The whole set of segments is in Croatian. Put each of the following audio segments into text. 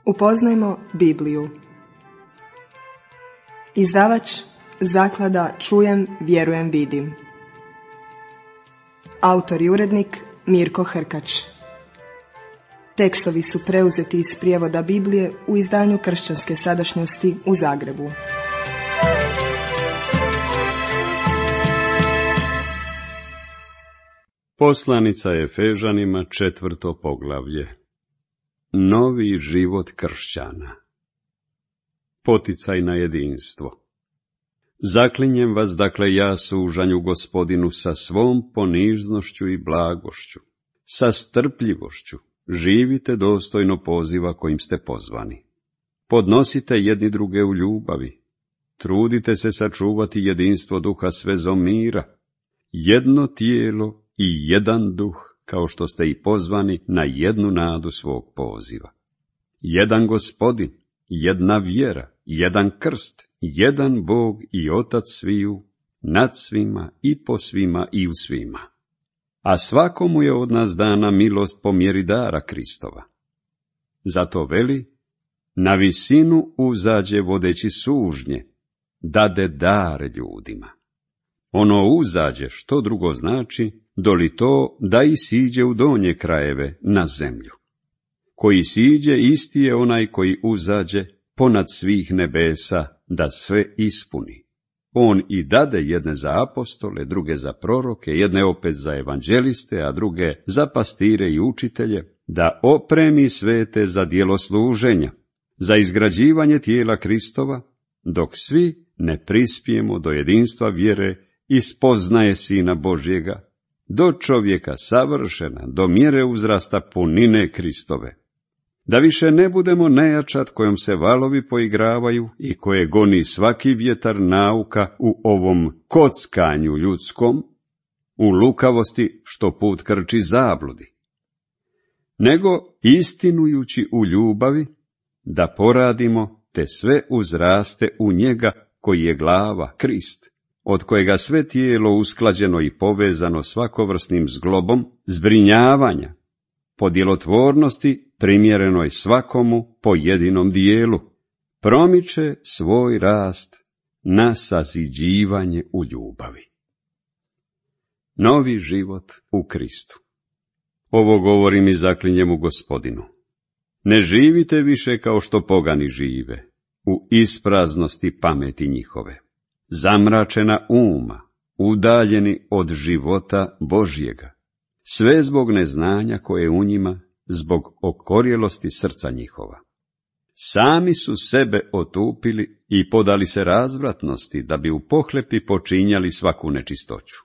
Upoznajmo Bibliju. Izdavač Zaklada Čujem, vjerujem, vidim. Autor i urednik Mirko Hrkač. Tekstovi su preuzeti iz prijevoda Biblije u izdanju Kršćanske sadašnjosti u Zagrebu. Poslanica Efežanima, 4. poglavlje. Novi život kršćana. Poticaj na jedinstvo. Zaklinjem vas, dakle, ja sužanju Gospodinu, sa svom poniznošću i blagošću, sa strpljivošću, živite dostojno poziva kojim ste pozvani. Podnosite jedni druge u ljubavi, trudite se sačuvati jedinstvo duha s vezom mira, jedno tijelo i jedan duh, kao što ste i pozvani na jednu nadu svog poziva. Jedan Gospodin, jedna vjera, jedan krst, jedan Bog i Otac sviju, nad svima i po svima i u svima. A svakomu je od nas dana milost po mjeri dara Kristova. Zato veli, na visinu uzađe vodeći sužnje, dade dar ljudima. Ono uzađe, što drugo znači, doli to da i siđe u donje krajeve, na zemlju. Koji siđe, isti je onaj koji uzađe ponad svih nebesa, da sve ispuni. On i dade jedne za apostole, druge za proroke, jedne opet za evanđeliste, a druge za pastire i učitelje, da opremi svete za djelo služenja, za izgrađivanje tijela Kristova, dok svi ne prispijemo do jedinstva vjere i spoznaje Sina Božjega, do čovjeka savršena, do mjere uzrasta punine Kristove. Da više ne budemo nejačad kojom se valovi poigravaju i koje goni svaki vjetar nauka u ovom kockanju ljudskom, u lukavosti što put krči zabludi. Nego istinujući u ljubavi, da poradimo te sve uzraste u njega koji je glava, Krist, od kojega sve tijelo usklađeno i povezano svakovrsnim zglobom zbrinjavanja, po djelotvornosti primjerenoj svakomu po jedinom dijelu, promiče svoj rast na saziđivanje u ljubavi. Novi život u Kristu. Ovo govorim i zaklinjem u Gospodinu. Ne živite više kao što pogani žive, u ispraznosti pameti njihove, zamračena uma, udaljeni od života Božjega, sve zbog neznanja koje je u njima, zbog okorjelosti srca njihova. Sami su sebe otupili i podali se razvratnosti, da bi u pohlepi počinjali svaku nečistoću.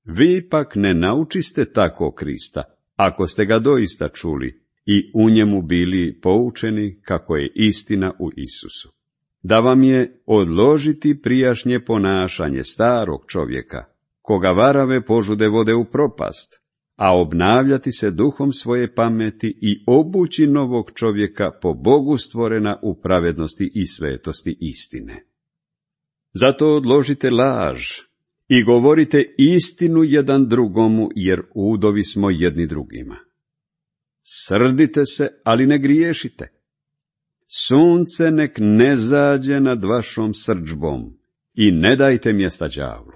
Vi pak ne naučiste tako Krista, ako ste ga doista čuli i u njemu bili poučeni kako je istina u Isusu. Da vam je odložiti prijašnje ponašanje starog čovjeka, koga varave požude vode u propast, a obnavljati se duhom svoje pameti i obući novog čovjeka po Bogu stvorena u pravednosti i svetosti istine. Zato odložite laž i govorite istinu jedan drugomu, jer udovi smo jedni drugima. Srdite se, ali ne griješite. Sunce nek ne zađe nad vašom srdžbom i ne dajte mjesta đavlu.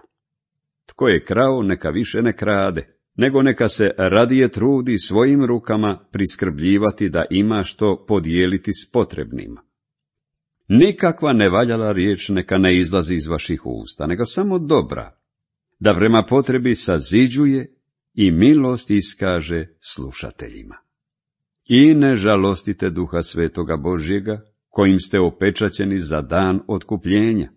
Tko je krao, neka više ne krade, nego neka se radije trudi svojim rukama priskrbljivati da ima što podijeliti s potrebnima. Nikakva nevaljala riječ neka ne izlazi iz vaših usta, nego samo dobra, da prema potrebi saziđuje i milost iskaže slušateljima. I ne žalostite Duha Svetoga Božjega, kojim ste opečaćeni za dan otkupljenja.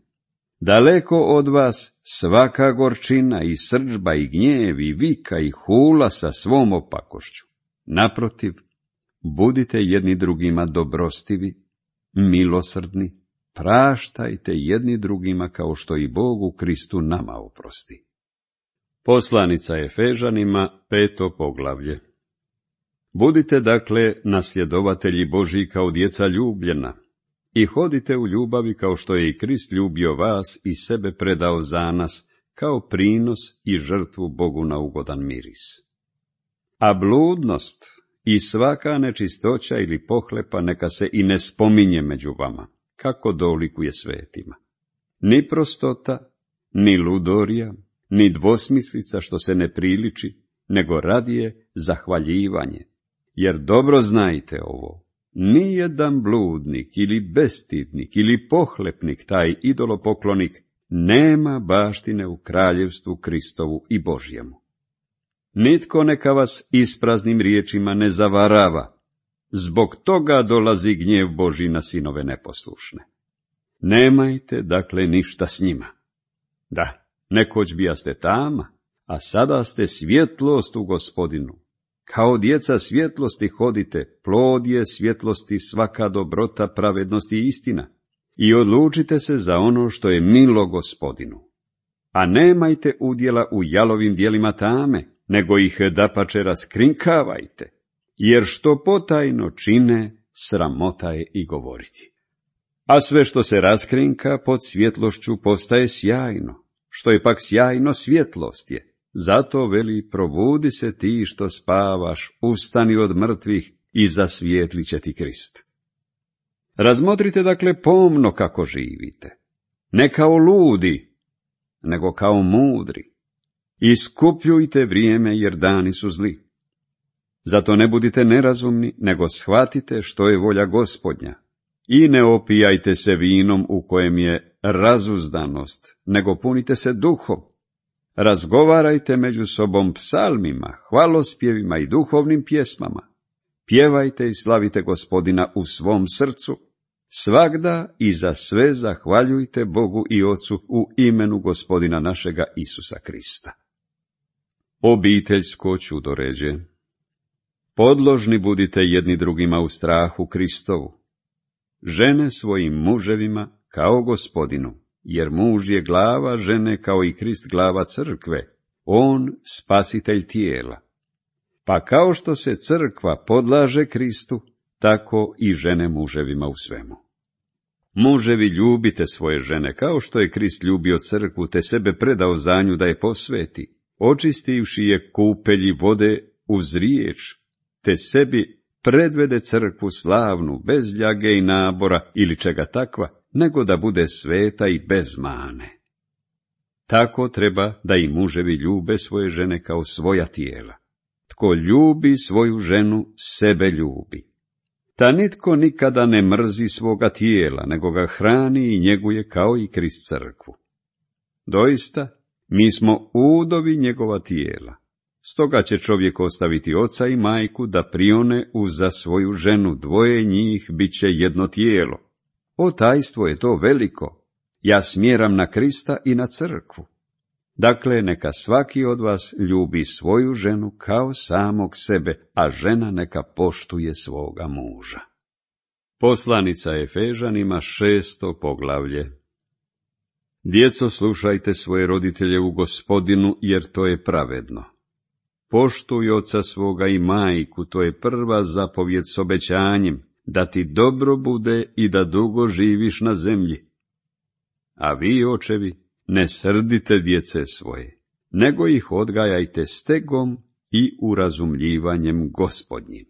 Daleko od vas svaka gorčina i srdžba i gnjev i vika i hula sa svom opakošću. Naprotiv, budite jedni drugima dobrostivi, milosrdni, praštajte jedni drugima kao što i Bog u Kristu nama oprosti. Poslanica Efežanima, 5. poglavlje. Budite dakle nasljedovatelji Božji kao djeca ljubljena i hodite u ljubavi kao što je i Krist ljubio vas i sebe predao za nas kao prinos i žrtvu Bogu na ugodan miris. A bludnost i svaka nečistoća ili pohlepa neka se i ne spominje među vama, kako dolikuje svetima. Ni prostota, ni ludorija, ni dvosmislica što se ne priliči, nego radije zahvaljivanje. Jer dobro znajte ovo, nijedan bludnik ili bestidnik ili pohlepnik, taj idolopoklonik, nema baštine u kraljevstvu Kristovu i Božjemu. Nitko neka vas ispraznim riječima ne zavarava, zbog toga dolazi gnjev Božji na sinove neposlušne. Nemajte dakle ništa s njima. Da, nekoć bijaste tama, a sada ste svjetlost u Gospodinu. Kao djeca svjetlosti hodite, plod je svjetlosti svaka dobrota, pravednost i istina. I odlučite se za ono što je milo Gospodinu. A nemajte udjela u jalovim djelima tame, nego ih dapače raskrinkavajte, jer što potajno čine, sramota je i govoriti. A sve što se raskrinka pod svjetlošću postaje sjajno, što je pak sjajno svjetlost je. Zato veli, probudi se ti što spavaš, ustani od mrtvih i zasvijetlit će ti Krist. Razmotrite dakle pomno kako živite, ne kao ludi, nego kao mudri. Iskupljujte vrijeme jer dani su zli. Zato ne budite nerazumni, nego shvatite što je volja Gospodnja. I ne opijajte se vinom u kojem je razuzdanost, nego punite se duhom. Razgovarajte među sobom psalmima, hvalospjevima i duhovnim pjesmama. Pjevajte i slavite Gospodina u svom srcu. Svagda i za sve zahvaljujte Bogu i Ocu u imenu Gospodina našega Isusa Krista. Obiteljsko čudoređe. Podložni budite jedni drugima u strahu Kristovu. Žene svojim muževima kao Gospodinu, jer muž je glava žene kao i Krist glava crkve, on spasitelj tijela. Pa kao što se crkva podlaže Kristu, tako i žene muževima u svemu. Muževi, ljubite svoje žene, kao što je Krist ljubio crkvu, te sebe predao za nju da je posveti, očistivši je kupelji vode uz riječ, te sebi predvede crkvu slavnu, bez ljage i nabora ili čega takva, nego da bude sveta i bez mane. Tako treba da i muževi ljube svoje žene kao svoja tijela. Tko ljubi svoju ženu, sebe ljubi. Ta nitko nikada ne mrzi svoga tijela, nego ga hrani i njeguje kao i Krist crkvu. Doista, mi smo udovi njegova tijela. Stoga će čovjek ostaviti oca i majku da prione uza svoju ženu, dvoje njih bit će jedno tijelo. O, tajstvo je to veliko. Ja smjeram na Krista i na crkvu. Dakle, neka svaki od vas ljubi svoju ženu kao samog sebe, a žena neka poštuje svoga muža. Poslanica Efežanima, 6. poglavlje. Djeco, slušajte svoje roditelje u Gospodinu, jer to je pravedno. Poštuj oca svoga i majku, to je prva zapovjed s obećanjem, da ti dobro bude i da dugo živiš na zemlji. A vi, očevi, ne srdite djece svoje, nego ih odgajajte stegom i urazumljivanjem Gospodnjim.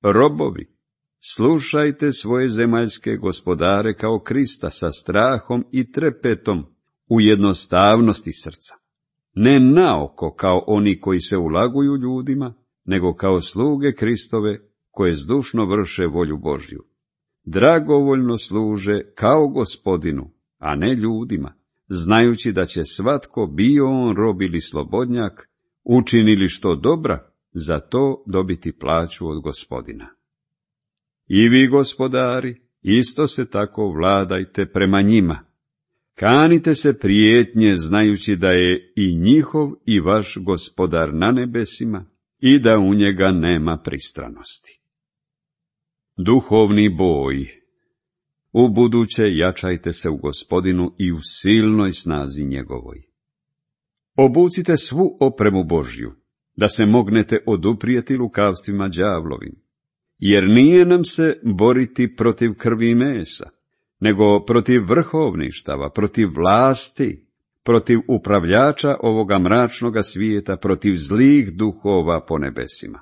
Robovi, slušajte svoje zemaljske gospodare kao Krista sa strahom i trepetom u jednostavnosti srca. Ne naoko kao oni koji se ulaguju ljudima, nego kao sluge Kristove koje zdušno vrše volju Božju. Dragovoljno služe kao Gospodinu, a ne ljudima, znajući da će svatko, bio on rob ili slobodnjak, učinili što dobra, za to dobiti plaću od Gospodina. I vi, gospodari, isto se tako vladajte prema njima. Kanite se prijetnje, znajući da je i njihov i vaš Gospodar na nebesima i da u njega nema pristranosti. Duhovni boj. Ubuduće jačajte se u Gospodinu i u silnoj snazi njegovoj. Obucite svu opremu Božju, da se mognete oduprijeti lukavstvima đavlovim, jer nije nam se boriti protiv krvi i mesa, nego protiv vrhovništava, protiv vlasti, protiv upravljača ovoga mračnoga svijeta, protiv zlih duhova po nebesima.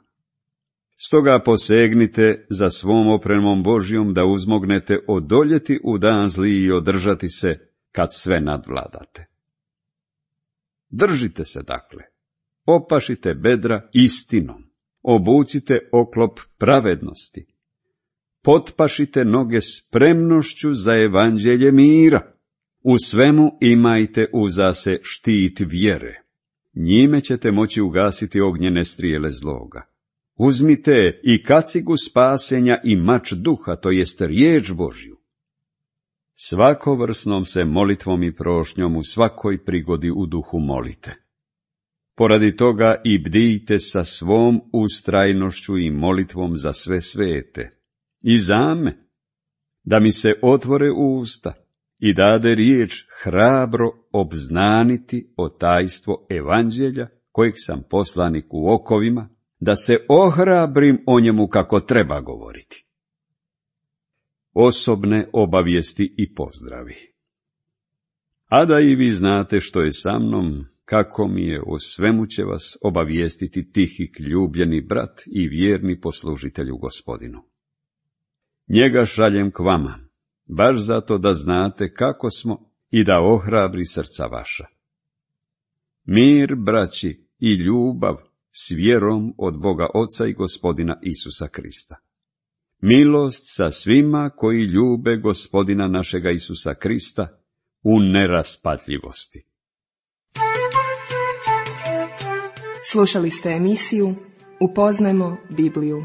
Stoga posegnite za svom opremom Božjom da uzmognete odoljeti u dan zli i održati se kad sve nadvladate. Držite se dakle, opašite bedra istinom, obucite oklop pravednosti, potpašite noge spremnošću za evanđelje mira, u svemu imajte uza se štit vjere, njime ćete moći ugasiti ognjene strijele zloga. Uzmite i kacigu spasenja i mač duha, to jest riječ Božju. Svakovrsnom se molitvom i prošnjom u svakoj prigodi u duhu molite. Poradi toga i bdijte sa svom ustrajnošću i molitvom za sve svete, i za me, da mi se otvore usta i dade riječ hrabro obznaniti o tajstvo evanđelja, kojeg sam poslanik u okovima, da se ohrabrim o njemu kako treba govoriti. Osobne obavijesti i pozdravi. A da i vi znate što je sa mnom, kako mi je, o svemu će vas obavijestiti Tihik, ljubljeni brat i vjerni poslužitelj u Gospodinu. Njega šaljem k vama, baš zato da znate kako smo i da ohrabri srca vaša. Mir, braći, i ljubav s vjerom od Boga Oca i Gospodina Isusa Krista. Milost sa svima koji ljube Gospodina našega Isusa Krista u neraspatljivosti. Slušali ste emisiju Upoznajmo Bibliju.